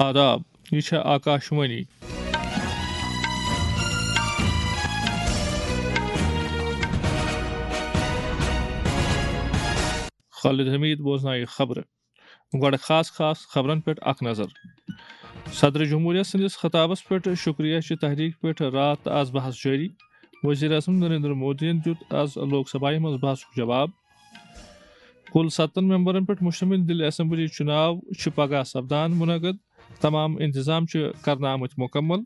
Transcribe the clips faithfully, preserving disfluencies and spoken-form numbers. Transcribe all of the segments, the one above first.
آداب، یہِ چھےٚ آکاشوانی۔ خالد حمید بوزنایہِ خبرٕ۔ گۄڈٕ خاص خاص خبرن پٮ۪ٹھ اکھ نظر۔ صدر جمہوریہ سٕنٛدِس خطابس پٮ۪ٹھ شکریہ چہِ تحریک پٮ۪ٹھ راتھ تہٕ از بحث جٲری۔ وزیر اعظم نریندر مودیَن دیُت از لوک سبھایہ منٛز بحثُک جواب۔ کُل ستن ممبرن پٮ۪ٹھ مشتمل دِلہِ اسمبلی چُناو چھِ پگاہ سپدان منعقد۔ تمام انتظام چھِ کرنہٕ آمٕتۍ مکمل۔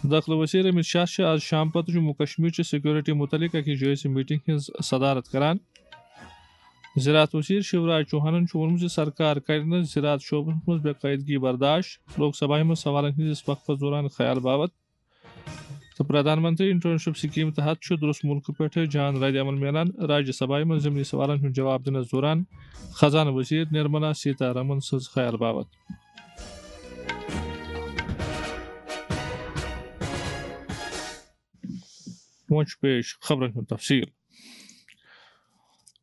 دٲخلہٕ وزیر امت شاہ چھِ آز شام پتہٕ جموں کشمیر چہِ سیکورٹی متعلق اکہِ جٲیزٕ میٹنگ ہٕنٛز صدارت کران۔ زراعت وزیر شیوراج چوہانن چھُ ووٚنمُت زِ سرکار کرِ نہٕ زراعت شعبس منٛز بے قٲعدگی برداشت۔ لوک سبھایہ منٛز سوالن ہٕنٛدِس وقفس دوران خیال باوت تہٕ پردھان منتری انٹرنشپ سکیم تحت چھُ درست ملکہٕ پٮ۪ٹھٕ جان رد عمل میلان۔ راجیہ سبھایہ منٛز ضمنی سوالن ہُنٛد جواب دِنس دوران خزانہٕ وزیر نرملا سیتا رمن سٕنٛز خیال باوت۔ وۄنۍ چھُ پیش خبرن ہُنٛد تفصیل۔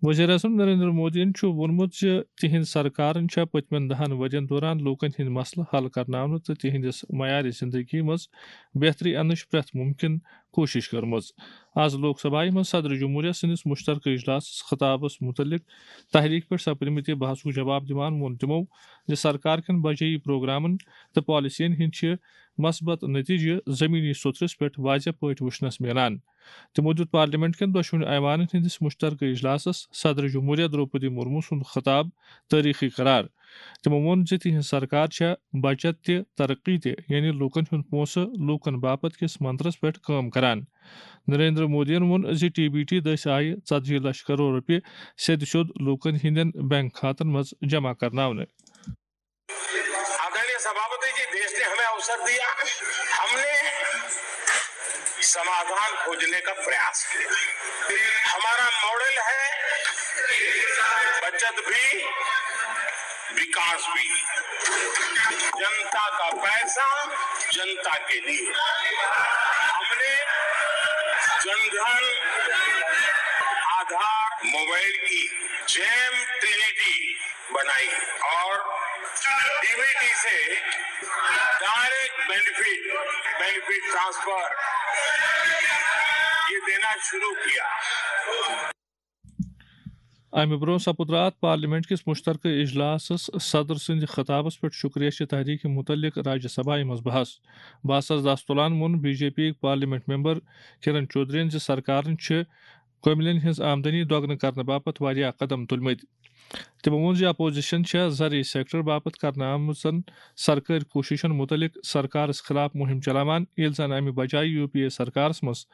وزیر اعظم نریندر مودیَن چھُ ووٚنمُت زِ تِہنٛز سرکارن چھےٚ پٔتمٮ۪ن دَہن ؤرین دوران لوٗکن ہٕنٛدۍ مسلہٕ حل کرناونہٕ تہٕ تِہنٛدِس معیارِ زندگی منٛز بہتری اننٕچ پرٛٮ۪تھ مُمکِن کوٗشش کٔرمٕژ۔ از لوک سبھایہ منٛز صدر جمہوریہ سٕنٛدِس مشترکہٕ اجلاسس خطابس متعلق تحریک پٮ۪ٹھ سپدمٕتہِ بحثُک جواب دِوان ووٚن تِمو زِ سرکار کٮ۪ن بجٲیی پروگرامن تہٕ پالیسین ہٕنٛدۍ چھِ مثبت نتیجہٕ زمینی سطحس پٮ۪ٹھ واضح پٲٹھۍ وُچھنس میلان۔ تِمو دیُت پارلیمنٹ کٮ۪ن دۄشوٕنی ایوانن ہٕنٛدِس مشترکہٕ اجلاسس صدر جمہوریہ درٛوپدی مرمو سُنٛد خطاب تٲریخی قرار۔ تِمو ووٚن زِ تِہنٛز سرکار چھےٚ بچت تہِ ترقی تہِ، یعنی لوٗکن ہُنٛد پونٛسہٕ لوٗکن باپتھ کِس منترس پٮ۪ٹھ کٲم کران۔ نریندر مودیَن ووٚن زِ ٹی بی ٹی دٔسۍ آیہِ ژتجی لچھ کرور رۄپیہِ سیٚدِ سیوٚد لوٗکن ہٕنٛدٮ۪ن بینک کھاتن منٛز جمع کرناونہٕ۔ आदरणीय सभापति जी, देश ने हमें अवसर दिया, हमने समाधान खोजने का प्रयास किया। हमारा मॉडल है बचत भी, विकास भी, जनता का पैसा जनता के लिए। हमने जनधन, आधार, मोबाइल की जैम ट्रिनिटी बनाई और डी बी टी से डायरेक्ट बेनिफिट, बेनिफिट ट्रांसफर ये देना शुरू किया। امہِ برٛونٛہہ سپُد راتھ پارلیمنٹ کِس مشترکہٕ اجلاسس صدر سٕنٛدِ خطابس پٮ۪ٹھ شکریہ چہِ تحریکہِ متعلق راجیہ سبھایہ منٛز بحث۔ بحثس دس تُلان ووٚن بی جے پی یِکۍ پارلیمنٹ ممبر کرن چودھرین زِ سرکارن چھِ کٔمِلین ہٕنٛز آمدنی دۄگنہٕ کرنہٕ باپتھ واریاہ قدم تُلمٕتۍ۔ تِمو ووٚن زِ اپوزیشن چھےٚ زرعی سیکٹر باپتھ کرنہٕ آمژن سرکٲرۍ کوٗششن مُتعلق سرکارس خلاف مُہِم چلاوان، ییٚلہِ زن امہِ بجایہِ یوٗ پی اے سرکارس منٛز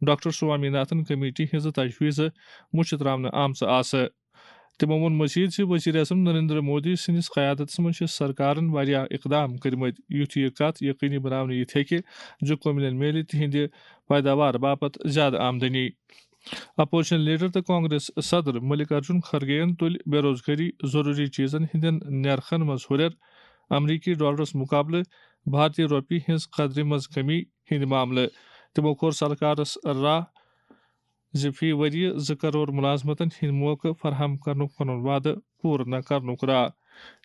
ڈاکٹر سوامی ناتھن کمیٹی ہٕنٛزٕ تجویٖزٕ مُچھِ تراونہٕ آمژٕ آسہٕ۔ تِمو ووٚن مزید زِ وزیر اعظم نریندر مودی سٕنٛدِس قیادتس منٛز چھِ سرکارن واریاہ اقدام کٔرمٕتۍ، یُتھ یہِ کتھ یقینی بناونہٕ یِتھ ہیٚکہِ زِ کٔمِلین میلہِ تِہنٛدِ پیداوار باپتھ زیادٕ آمدنی۔ اپوزیشن لیڈر تہٕ کانگریس صدر ملک ارجن کھرگے یَن تُلۍ بے روزگٲری، ضروٗری چیزن ہٕنٛدٮ۪ن نرخن منٛز ہُرٮ۪ر، امریکی ڈالرس مقابلہٕ بھارتی روپیہِ ہٕنٛز قدرِ منٛز کمی ہٕنٛدۍ معاملہٕ۔ تِمو کوٚر سرکارس راہ زِ فی ؤریہِ زٕ کرور ملازمتن ہٕنٛدۍ موقعہٕ فراہم کرنُک پنُن وعدٕ پوٗرٕ نہٕ کرنُک راہ۔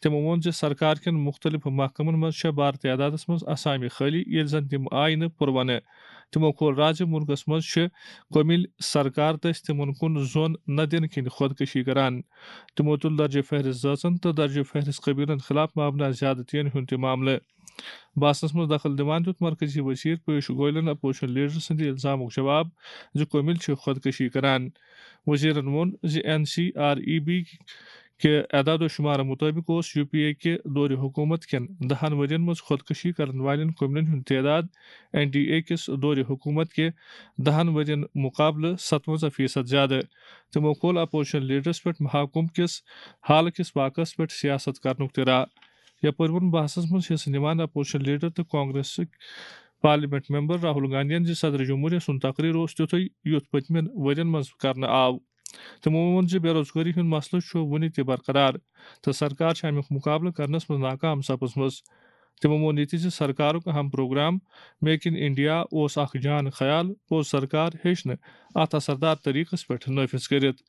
تِمو ووٚن زِ سرکار کٮ۪ن مُختٔلِف محکمن منٛز چھےٚ بارٕ تعدادس منٛز اسامہِ خٲلی، ییٚلہِ زن تِم آیہِ نہٕ پُروَنہٕ۔ تِمو کھول راز زِ مُلکس منٛز چھِ کٔمِلۍ سرکار دٔسۍ تِمن کُن زوٚن نہ دِنہٕ کِنۍ خودکشی کران۔ تِمو تُل درجہِ فہرست زٲژن تہٕ درجہِ فہرست قبیلن خلاف مبنی زیادتین ہُنٛد تہِ معاملہٕ۔ بحثس منٛز دخل دِوان دیُت مرکزی وزیر پیوش گویلن اپوزیشن لیڈر سٕنٛدِ الزامُک جواب زِ کٔمِلۍ چھِ خودکشی کران۔ وزیرن ووٚن زِ این سی آر ای بی کہِ اعداد و شمارٕ مُطٲبِق اوس یوٗ پی اے کہِ دورِ حکوٗمت کٮ۪ن دَہَن ؤرِین منٛز خودکشی کرن والٮ۪ن کٔمِلٮ۪ن ہُنٛد تعداد این ڈی اے کِس دورِ حکوٗمت کہِ دَہَن ؤرِین مُقابلہٕ ستوَنزاہ فیصد زیادٕ۔ تِمو کھول اپوزیشن لیڈرس پٮ۪ٹھ محکمہٕ کِس حالہٕ کِس واقعس پٮ۪ٹھ سیاست کرنُک تہِ راہ۔ یپٲرۍ ووٚن بحثس منٛز حصہٕ نِوان اپوزیشن لیڈر تہٕ کانگریسٕکۍ پارلیمنٹ ممبر راہل گاندھین زِ صدر جمہوریہ سُنٛد تقریر اوس تیُتھُے یُتھ پٔتمٮ۪ن ؤرین منٛز کرنہٕ آو۔ تِمو ووٚن زِ بے روزگٲری ہُنٛد مسلہٕ چھُ وُنہِ تہِ برقرار تہٕ سرکار چھِ اَمیُک مُقابلہٕ کرنس منٛز ناکام سپٕزمٕژ۔ تِمو ووٚن یہِ تہِ زِ سرکارُک اہم پروگرام میک ان انڈیا اوس اکھ جان خیال، پوٚز سرکار ہیٚچھ نہٕ اتھ اثردار طریقس پٮ۪ٹھ نٲفذ کٔرِتھ۔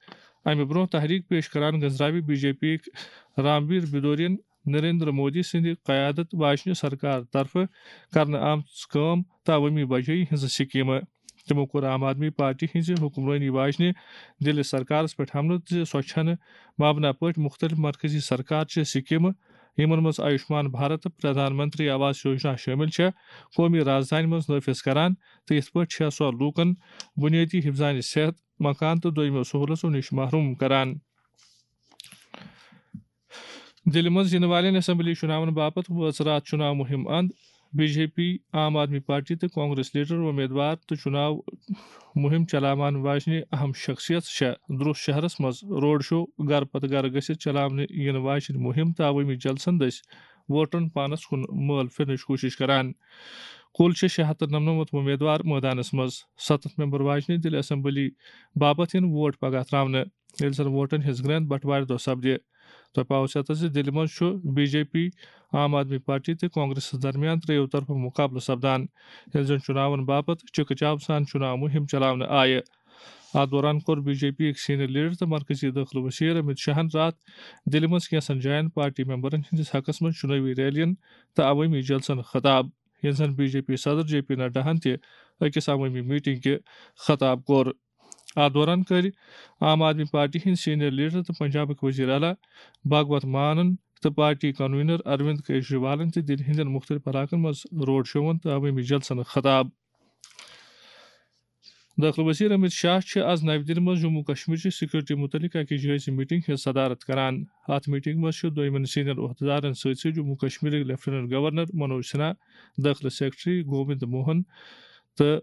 امہِ برونٛہہ تحریک پیش کران گنزراوِ بی جے پی یِکۍ رامویر بدورین نریندر مودی سٕنٛدِ قیادت واجنہِ سرکار طرفہٕ کرنہٕ آمژٕ کٲم تہٕ عوٲمی بجٲیی ہٕنٛزٕ سکیمہٕ۔ تِمو کوٚر عام آدمی پارٹی ہٕنٛزِ حکمرٲنی واجنہِ دِلہِ سرکارس پٮ۪ٹھ حملہٕ زِ سۄ چھنہٕ مبنہ پٲٹھۍ مُختٔلِف مرکزی سرکار چہِ سکیمہٕ، یِمن منٛز آیوشمان بھارت تہٕ پردھان منتری آواس یوجنا شٲمِل چھےٚ، قومی رازدانہِ منٛز نافذ کران تہٕ یِتھ پٲٹھۍ چھےٚ سۄ لوٗکن بُنیٲدی حفظانِ صحت، مکان تہٕ دوٚیمٮ۪و سہوٗلژو نِش محروم کران۔ دِلہِ منٛز یِنہٕ والٮ۪ن اسمبلی چُناون باپتھ وٲژ راتھ چُناو مُہِم اند۔ بی جے پی، عام آدمی پارٹی تہٕ کانگریس لیڈر، امیدوار تہٕ چُناو مُہِم چلاوان واجنہِ اہم شخصیت چھےٚ درٛوس شہرس منٛز روڈ شو، گرٕ پتہٕ گرٕ گٔژھِتھ چلاونہٕ یِنہٕ واجنہِ مُہِم تہٕ عوٲمی جلسن دٔسۍ ووٹرن پانس کُن مٲل پھِرنٕچ کوٗشش کران۔ کُل چھِ شےٚ ہَتھ تہٕ نَمنَمَتھ امیدوار مٲدانس منٛز۔ ستتھ ممبر واجنہِ دِلہِ اسمبلی باپتھ یِن ووٹ پگاہ تراونہٕ، ییٚلہِ زن ووٹن ہٕنٛز گرٛینٛد بٹوارِ دۄہ سپدِ۔ تۄہہِ پاوو سیاست زِ دِلہِ منٛز چھُ بی جے پی، عام آدمی پارٹی تہٕ کانگریسس درمیان ترٛیٚیو طرفہٕ مُقابلہٕ سپدان، ییٚلہِ زن چُناون باپتھ چِکہٕ چاو سان چُناو مُہِم چلاونہٕ آیہِ۔ اتھ دوران کوٚر بی جے پی یِکۍ سینئر لیڈر تہٕ مرکزی دٲخلہٕ وزیر امت شاہن راتھ دِلہِ منٛز کینٛژن جاین پارٹی ممبرن ہٕنٛدِس حقس منٛز چُنٲوی ریلین تہٕ عوٲمی جلسن خطاب، ییٚلہِ زن بی جے پی صدر جے پی نڈاہن تہِ أکِس عوٲمی میٹنگ کہِ خطاب کوٚر۔ اتھ دوران کٔرۍ عام آدمی پارٹی ہٕنٛدۍ سینئر لیڈر تہٕ پنجابٕکۍ وزیر اعلیٰ بھگوت مانن تہٕ پارٹی کنوینر اروند کیجریوالن تہِ دِلہِ ہٕنٛدٮ۪ن مُختٔلِف علاقن منٛز روڈ شوون تہٕ عوٲمی جلسن خطاب۔ دٲخلہٕ وزیر امت شاہ چھِ از نَوِ دِلہِ منٛز جموں کشمیر چہِ سیکورٹی مُتعلق اکہِ جٲیزٕ میٹنگ ہٕنٛز صدارت کران۔ اتھ میٹنگ منٛز چھِ دویمٮ۪ن سینئر عہدیدارن سۭتۍ سۭتۍ جموں کشمیرٕکۍ لیفٹیننٹ گورنر منوج سنہا، دٲخلہٕ سیکرٹری گووند موہن تہٕ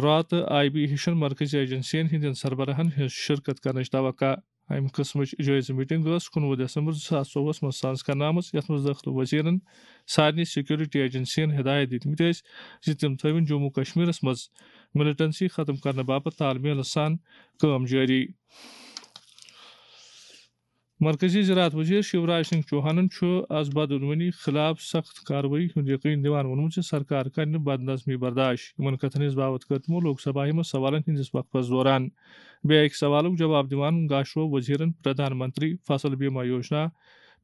راتہٕ آیہِ بی ہِشن مرکزی ایجنسین ہٕنٛدٮ۪ن سربراہن ہٕنٛز شرکت کرنٕچ توقع۔ امہِ قٕسمٕچ جٲیزٕ میٹنگ ٲس کُنوُہ دسمبر زٕ ساس ژوٚوُہس منٛز ساز کرنہٕ آمٕژ، یتھ منٛز دٲخلہٕ وزیرن سارنٕے سیکورٹی ایجنسین ہدایت دِتمٕتۍ ٲسۍ زِ تِم تھٲوِن جموں کشمیرس منٛز ملیٹنسی ختم کرنہٕ باپتھ تال میلس سان کٲم جٲری۔ مرکزی زراعت وزیر شیوراج سنگھ چوہانن چھُ از بدعنوانی خلاف سخت کاروٲیی ہُنٛد یقین دِوان ووٚنمُت زِ سرکار کرِ نہٕ بدنظمی برداشت۔ یِمن کتھن ہٕنٛز باوتھ کٔر تِمو لوک سبھایہ منٛز سوالن ہٕنٛدِس وقفس دوران۔ بیٚیہِ اکہِ سوالُک جواب دِوان گاشروو وزیرن Pradhan Mantri Fasal Bima Yojana,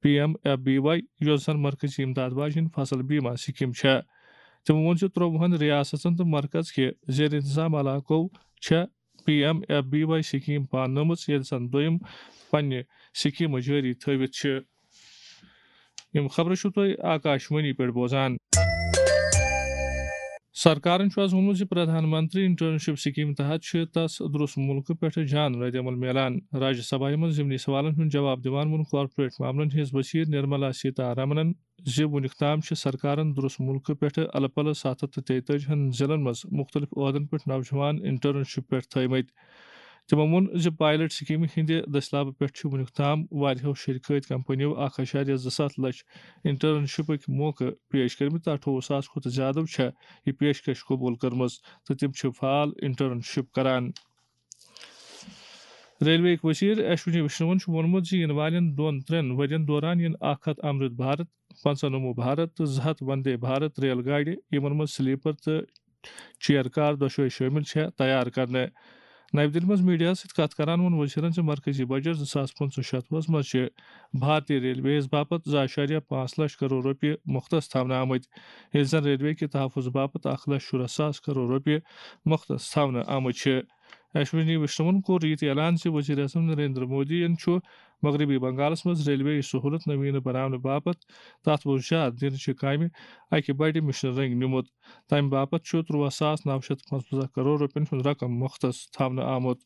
P M F B Y, یۄس زن مرکزی امداد واجیٚنۍ فصل بیمہ سکیٖم چھےٚ۔ تِمو ووٚن زِ ترٛۆوُہن ریاستن تہٕ مرکز کہِ زیر انتظام علاقو چھےٚ پی ایم ایف بی واے سکیٖم پاننٲومٕژ، ییٚلہِ زن دوٚیِم پننہِ سکیٖمہٕ جٲری تھٲوِتھ چھِ۔ یِم خبرٕ چھِو تُہۍ آکاش وانی پٮ۪ٹھ بوزان۔ سرکارن چھُ آز ووٚنمُت زِ پردھان منتری انٹرنشپ سکیٖم تحت چھِ تس درٛوس مُلکہٕ پٮ۪ٹھٕ جان رد عمل میلان۔ راجیہ سبھایہ منٛز ضمنی سوالن ہُنٛد جواب دِوان ووٚن کارپوریٹ معاملن ہٕنٛز وزیر نرملا سیتا رمنن زِ وُنیُک تام چھِ سرکارن درٛوس مُلکہٕ پٮ۪ٹھٕ الہٕ پلہٕ ستھ ہتھ تہٕ تیتٲجی ہن ضلعن منٛز مُختٔلِف عہدن پٮ۪ٹھ نوجوان انٹرنشپ پٮ۪ٹھ تھٲومٕتۍ۔ تِمو ووٚن زِ پائلٹ سکیمہِ ہٕنٛدِ دٔسلابہٕ پٮ۪ٹھ چھِ وُنیُک تام واریاہو شرکٲتۍ کمپنیو اکھ اعشاریہ زٕ ستھ لچھ انٹرنشپٕکۍ موقعہٕ پیش کٔرمٕتۍ تہٕ اَٹھووُہ ساس کھۄتہٕ زیادٕ چھےٚ یہِ پیشکش قبول کٔرمٕژ تہٕ تِم چھِ فعال انٹرنشپ کران۔ ریلوے وزیر اشونی وشنوَن چھُ ووٚنمُت زِ یِنہٕ والٮ۪ن دۄن ترٛٮ۪ن ؤرین دوران یِن اکھ ہتھ امرت بھارت، پنٛژاہ نمو بھارت تہٕ زٕ ہتھ وندے بھارت ریل گاڑِ، یِمن منٛز سلیپر تہٕ چیئر کار دۄشوے شٲمِل چھےٚ، تیار کرنہٕ۔ نَوِ دِلہِ منٛز میڈیاہَس سۭتۍ کَتھ کران ووٚن وزیرَن زِ مرکزی بجٹ زٕ ساس پٕنٛژٕہ شتوُہَس منٛز چھِ بھارتی ریلویز باپتھ زٕ اعشاریہ پانٛژھ لچھ کرور رۄپیہِ مختص تھاونہٕ آمٕتۍ، ییٚلہِ زَن ریلوے کہِ تحفظ باپتھ اکھ لچھ شُراہ ساس کرور رۄپیہِ مختص تھاونہٕ آمٕتۍ چھِ۔ اشونی وشنوَن کوٚر یہِ تہِ اعلان زِ وزیر اعظم نریندر مودی یَن چھُ مغربی بنگالَس منٛز ریلوے سہولت نویٖنہٕ بناونہٕ باپتھ تَتھ منٛز زیادٕ دِنہٕ چہِ کامہِ اَکہِ بڑِ مِشنہٕ رٔنٛگۍ نیوٗمُت۔ تَمہِ باپتھ چھُ ترٛواہ ساس نَو شیٚتھ پانٛژوَنٛزاہ کرور رۄپیَن ہُنٛد رقم مختص تھاونہٕ آمُت۔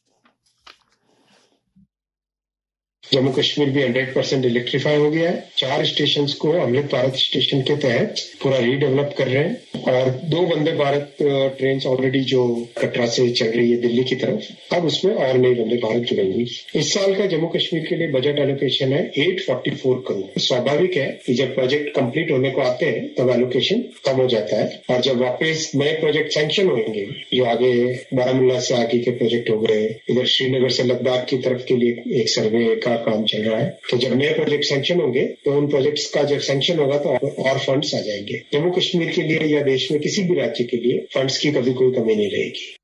جموں کشمیر بھی ہنڈریڈ پرسینٹ الیکٹریفائی ہو گیا ہے۔ چار اسٹیشنز کو امرت بھارت اسٹیشن کے تحت پورا ری ڈیولپ کر رہے ہیں اور دو وندے بھارت، آ، ٹرینز آلریڈی جو کٹرا سے چل رہی ہے دلی کی طرف، اب اس میں اور نئی وندے بھارت جڑیں گی۔ اس سال کا جموں کشمیر کے لیے بجٹ الوکیشن ہے ایٹ فورٹی فور کروڑ۔ سواڀاوک ہے کہ جب پروجیکٹ کمپلیٹ ہونے کو آتے ہیں تب الوکیشن کم ہو جاتا ہے اور جب واپس نئے پروجیکٹ سینکشن ہوئیں گے، جو آگے بارامولہ سے آگے کے پروجیکٹ ہو گئے، ادھر شری نگر سے لداخ کی طرف کے لیے ایک سروے کا کام چل رہا ہے، تو جب نئے پروجیکٹ سینکشن ہوں گے تو ان پروجیکٹس کا جب سینکشن ہوگا تو اور، اور فنڈز آ جائیں گے۔ جموں کشمیر کے لیے یا دیش میں کسی بھی راجیہ کے لیے فنڈز کی کبھی کوئی کمی نہیں رہے گی۔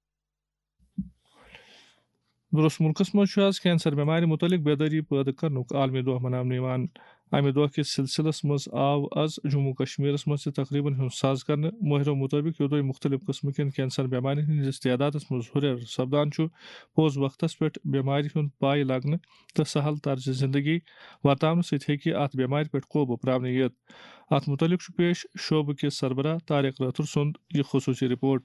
درٛوس مُلکَس منٛز چھُ آز کینسر بٮ۪مارِ مُتعلِق بیدٲری پٲدٕ کرنُک عالمی دۄہ مناونہٕ یِوان۔ امہِ دۄہ کِس سلسلس منٛز آو از جموں کشمیرس منٛز تہِ تقریبن ہُنٛد ساز کرنہٕ۔ مٲہرو مُطٲبِق، یوٚدوے مُختٔلِف قٕسمہٕ کٮ۪ن کینسر بٮ۪مارٮ۪ن ہٕنٛدِس تعدادس منٛز ہُرٮ۪ر سپدان چھُ، پوٚز وقتس پٮ۪ٹھ بٮ۪مارِ ہُنٛد پاے لگنہٕ تہٕ سہل طرزِ زندگی ورتاونہٕ سۭتۍ ہیٚکہِ اتھ بٮ۪مارِ پٮ۪ٹھ قوبہٕ پراونہٕ یِتھ۔ اتھ مُتعلق چھُ پیش شعبہٕ کِس سربراہ طارق رٲتھر سُنٛد یہِ خصوٗصی رپورٹ۔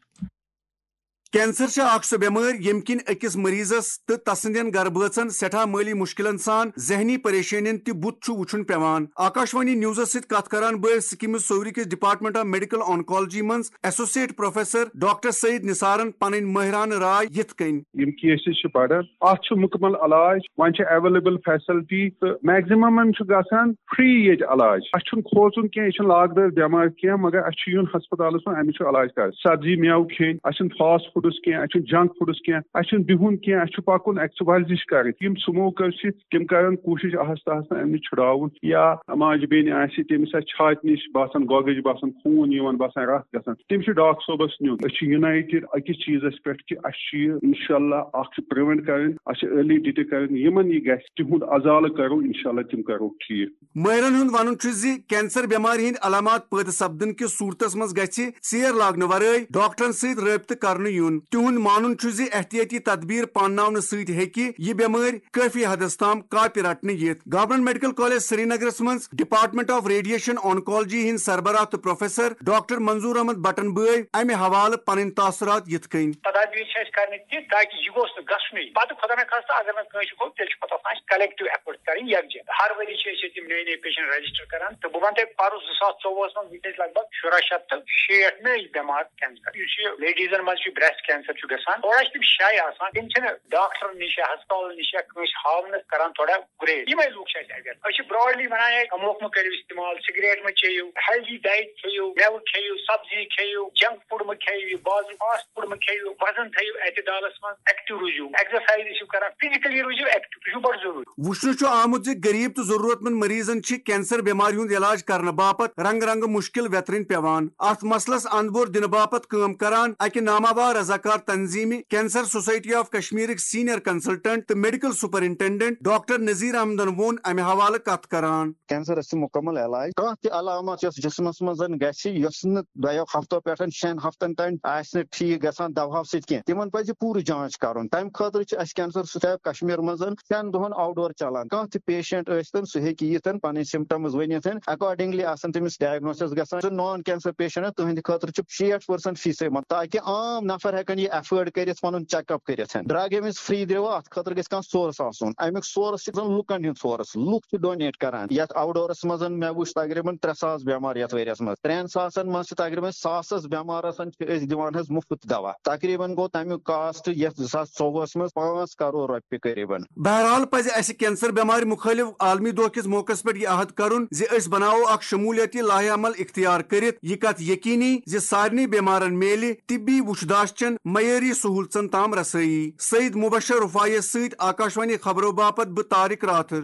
کینسر چھِ اکھ سۄ بٮ۪مٲرۍ، ییٚمہِ کِنۍ أکِس مریضس تہٕ تسٕنٛدٮ۪ن گرٕ بٲژن سٮ۪ٹھاہ مٲلی مُشکِلن سان ذہنی پریشٲنین تہِ بُتھ چھُ وُچھُن پٮ۪وان۔ آکاشوانی نیوزس سۭتۍ کتھ کران بٲوۍ سکیمز سوری کِس ڈپارٹمنٹ آف میڈیکل آنکالوجی منٛز ایسوسیٹ پروفیسر ڈاکٹر سعید نثارن پنٕنۍ مٲہرانہٕ راے یِتھ کٔنۍ۔ یِم کیسز چھِ بڑان، اتھ چھُ مُکمل علاج، وۄنۍ چھِ اویلیبل فیسلٹی تہٕ میکزِممن چھُ گژھان فری ییٚتہِ علاج۔ اَسہِ چھُنہٕ کھوژُن کینٛہہ، یہِ چھُنہٕ لاگدار بٮ۪مارِ کینٛہہ، مگر اَسہِ چھُ یُن ہسپتالس منٛز، اَمِچ چھُ علاج کرُن۔ سبزی مٮ۪وٕ کھیٚنۍ، اَسہِ چھُنہٕ فاسٹ فوڈس کینٛہہ، اَسہِ چھُنہٕ جنک فوڈس کینٛہہ، اَسہِ چھُنہٕ بِہُن کینٛہہ، اَسہِ چھُ پکُن، ایکسرسایز چھِ کرٕنۍ۔ یِم سموکر چھِ، تِم کرن کوٗشش آہستہ آہستہ اَمہِ نِش چھُڑاوُن۔ یا ماجہِ بیٚنہِ آسہِ، تٔمِس آسہِ چھاتہِ نِش باسان گۄگٕج، باسان خوٗن یِوان، باسان رتھ گژھان، تٔمِس چھُ ڈاکٹر صٲبس نیُن۔ أسۍ چھِ یونایٹڈ أکِس چیٖزس پٮ۪ٹھ کہِ اَسہِ چھُ یہِ انشاءاللہ اکھ چھُ پریونٹ کرٕنۍ، اَسہِ چھِ ارلی ڈیٹیکٹ کرٕنۍ۔ یِمن یہِ گژھِ، تِہُنٛد ازالہٕ کرو، انشاءاللہ تِم کرو ٹھیٖک۔ مٲہرن ہُنٛد وَنُن چھُ زِ کینسر بٮ۪مارِ ہٕنٛدۍ علامات پٲدٕ سپدن کِس صورتس منٛز گژھِ ژیر لاگنہٕ ورٲے ڈاکٹرن سۭتۍ رٲبطہٕ کرنہٕ یُن۔ تِہُنٛد مانُن چھُ زِ احتیاطی تدبیر پانناونہٕ سۭتۍ ہیٚکہِ یہِ بٮ۪مٲرۍ کٲفی حدس تام کاپہِ رٹنہٕ یِتھ۔ گورنمنٹ میڈیکل کالج سرینگرس منٛز ڈپارٹمنٹ آف ریڈیشن آنکالوجی ہٕنٛدۍ سربراہ تہٕ پروفیسر ڈاکٹر منظور احمد بٹن بٲوۍ امہِ حوالہٕ پنٕنۍ تاثرات یِتھ کٔنۍ۔ تدابیر چھِ اَسہِ کرنہِ تہِ تاکہِ یہِ گوٚژھ نہٕ گژھنُے۔ پتہٕ خۄدا نخواستہ اگر نہٕ کٲنٛسہِ گوٚو، تیٚلہِ چھُ پتہٕ آسان اَسہِ کلیکٹو ایفٲرٹ کرٕنۍ یکجا۔ ہر ؤری چھِ أسۍ ییٚتہِ یِم نٔے نٔے پیشنٹ رجسٹر کران، تہٕ بہٕ وَنہٕ تۄہہِ، پَرُس زٕ ساس ژوٚوُہَس منٛز وٕچھ اَسہِ لگ بگ شُراہ شیٚتھ تہٕ شیٹھ نٔے بٮ۪مار کینسر۔ یُس یہِ لیڈیزن منٛز چھُ بریسٹ کینسر چھُ گژھان، تھوڑا چھِ تِم شاے آسان، تِم چھِنہٕ ڈاکٹرن نِش یا ہسپتالن نِش یا کٲنٛسہِ ہاونس کران تھوڑا گریز۔ یِمے لوٗکھ چھِ اَسہِ اویئر۔ أسۍ چھِ براڈلی وَنان ہے، تموکھ مہٕ کٔرِو استعمال، سگریٹ مہٕ چیٚیِو، ہیلدی ڈایٹ کھیٚیِو، مٮ۪وٕ کھیٚیِو، سبزی کھیٚیِو، جنک فوڈ مہٕ کھیٚیِو، یہِ بازرٕ فاسٹ فوڈ مہٕ کھیٚیِو، وزن تھٲیِو اعتدالس منٛز، ایکٹیو روٗزِو، ایکزرسایز ٲسِو کران، فزیکلی روٗزِو ایکٹیو، یہِ چھُ بڑٕ ضروٗری۔ وُچھنہٕ چھُ آمُت زِ غریب تہٕ ضروٗرت مند مریضن چھِ کینسر بٮ۪مارِ ہُنٛد علاج کرنہٕ باپتھ رنگہٕ رنگہٕ مُشکل ویترٕنۍ پٮ۪وان۔ اتھ مسلس اندبور دِنہٕ باپتھ کٲم کران اکہِ ناماوار رضاکار تنظیمہِ کینسر سوسائٹی آف کشمیرٕکۍ سینئر کنسلٹنٹ تہٕ میڈیکل سپرنٹنڈنٹ ڈاکٹر نذیر احمدن ووٚن امہِ حوالہٕ کتھ کران۔ کینسرس چھُ مُکمل علاج۔ کانٛہہ تہِ علامت یۄس جسمس منٛز زن گژھِ، یۄس نہٕ دۄیو ہفتو پٮ۪ٹھ شٮ۪ن ہفتن تام آسہِ نہٕ ٹھیٖک گژھان دواہو سۭتۍ کینٛہہ، تِمن پزِ پوٗرٕ جانچ کرُن۔ تمہِ خٲطرٕ چھُ اسہِ کینسر سوسائٹی آف کشمیر منٛز شٮ۪ن دۄہن آوٹ ڈور چلان۔ کانٛہہ تہِ پیشنٹ ٲسۍتن، سُہ ہیٚکہِ یِتھ، پنٕنۍ سمپٹمز ؤنِتھ، اکارڈنگلی آسن تٔمِس ڈائگنوسس گژھان۔ سُہ نان کینسر پیشنٹ، تُہنٛدِ خٲطرٕ چھُ شیٹھ پٔرسنٹ فیسے منٛز، تاکہِ عام نفر ہیٚکن یہِ ایفٲرڈ کٔرِتھ، پنُن چیک اپ کٔرِتھ۔ ڈرگ ییٚمِس فری دِوان، اتھ خٲطرٕ گژھِ کانٛہہ سورس آسُن۔ امیُک سورس چھُ زن لُکن ہُنٛد سورس، لُکھ چھِ ڈونیٹ کران۔ یتھ آوٹ ڈورس منٛز مےٚ وُچھ تقریباً ترٛےٚ ساس بٮ۪مار یتھ ؤریس منٛز۔ ترٛٮ۪ن ساسن منٛز چھِ تقریباً ساسس بٮ۪مارس چھِ أسۍ دِوان حظ مُفت دوا۔ تقریباً گوٚو تمیُک کاسٹ یتھ زٕ ساس ژوٚوُہس منٛز پانٛژھ کرور رۄپیہِ قریباً۔ بہرحال پزِ اسہِ کینسر بٮ۪مارِ مُخٲلف عالمی دۄہ کِس موقعس پٮ۪ٹھ یہِ عہد کرُن زِ أسۍ بناوو اکھ شمولیتی لایحہ عمل اختیار کٔرِتھ یہِ کتھ یقینی زِ سارنٕے بٮ۪مارن میلہِ طبی وُچھ داشچن معیٲری سہولژن تام رسٲیی۔ سعید مبشر رفاعیس سۭتۍ آکاشوانی خبرو باپتھ بہٕ طارق راتھر۔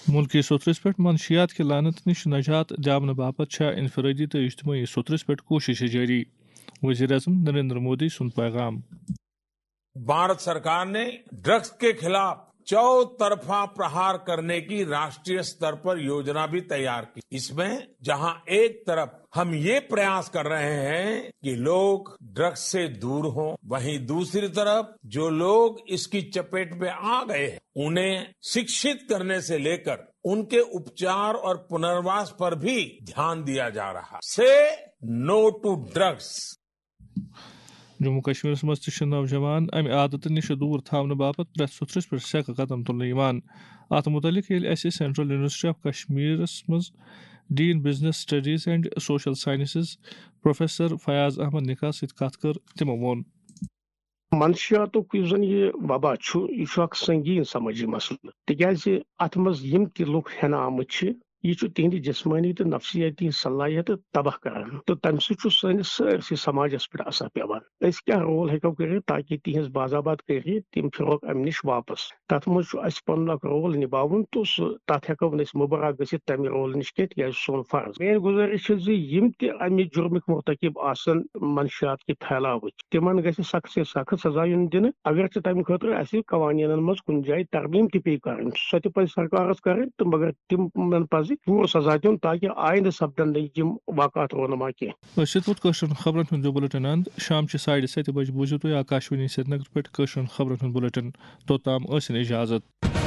مُلکی سوٚتھرِس پٮ۪ٹھ منشیات کہِ لعنت نِش نجات دِیاونہٕ باپتھ چھےٚ انفرٲدی تہٕ اجتمٲعی سوٚتھرِس پٮ۪ٹھ کوٗششہٕ جٲری۔ وزیر اعظم نریندر مودی سُنٛد پیغام۔ भारत सरकार ने ड्रग्स के खिलाफ चौतरफा प्रहार करने की राष्ट्रीय स्तर पर योजना भी तैयार की। इसमें जहां एक तरफ हम ये प्रयास कर रहे हैं कि लोग ड्रग्स से दूर हों, वहीं दूसरी तरफ जो लोग इसकी चपेट में आ गए हैं, उन्हें शिक्षित करने से लेकर उनके उपचार और पुनर्वास पर भी ध्यान दिया जा रहा है। Say no to drugs. Jammu کشمیرس منٛز تہِ چھِ نوجوان امہِ عادتہٕ نِش دوٗر تھاونہٕ باپتھ پرٛٮ۪تھ سوٚتھرِس پٮ۪ٹھ سٮ۪کہٕ قدم تُلنہٕ یِوان۔ اتھ مُتعلق ییٚلہِ اسہِ سینٹرل یونیورسٹی آف کشمیرس منٛز dean business studies and social sciences professor Fayaz Ahmad نکاح سۭتۍ کتھ کٔر، تِمو ووٚن۔ منشیاتُک یُس زن یہِ وبا چھُ، یہِ چھُ اکھ سنگین سمٲجی مسلہٕ، تِکیازِ اتھ منٛز یِم تہِ لُکھ ہٮ۪نہٕ آمٕتۍ چھِ، یہِ چھُ تِہنٛدِ جسمٲنی تہٕ نفسیٲتی صلٲحیتہٕ تباہ کران تہٕ تمہِ سۭتۍ چھُ سٲنِس سٲرسٕے سماجس پٮ۪ٹھ اثر پٮ۪وان۔ أسۍ کیٛاہ رول ہیٚکو کٔرِتھ تاکہِ تِہنٛز باز آباد کٔرِتھ تِم پھِرہوکھ امہِ نِش واپس؟ تتھ منٛز چھُ اسہِ پنُن اکھ رول نباوُن تہٕ سُہ، تتھ ہیٚکو نہٕ أسۍ مُبرا گٔژھِتھ تمہِ رول نِش کینٛہہ، تِکیازِ سُہ چھُ سون فرض۔ میٲنۍ گُزٲرِش چھِ زِ یِم تہِ امہِ جُرمٕکۍ مرتکب آسن، منشیات کہِ پھیلاوٕکۍ، تِمن گژھِ سخت سے سخت سزا یُن دِنہٕ۔ اگرچہِ تمہِ خٲطرٕ اسہِ قوانینن منٛز کُنہِ جایہِ ترمیم تہِ پیٚیہِ کرٕنۍ، سۄ تہِ پزِ سرکارس کرٕنۍ تہٕ مگر تِمن پزِ پوٗرٕ سزا دیُن تاکہِ آیندٕ سپدن نہٕ یِم واقعات رونما کینٛہہ۔ أسۍ چھِ تُہُنٛد کٲشرٮ۪ن خبرن ہُنٛد یہِ بُلٹن اند۔ شام چہِ ساڑِ ستہِ بجہِ بوٗزِو تُہۍ آکاشوانی سرینگر پٮ۪ٹھ کٲشرٮ۪ن خبرن ہُنٛد بُلٹن۔ توٚتام ٲسِن اجازت۔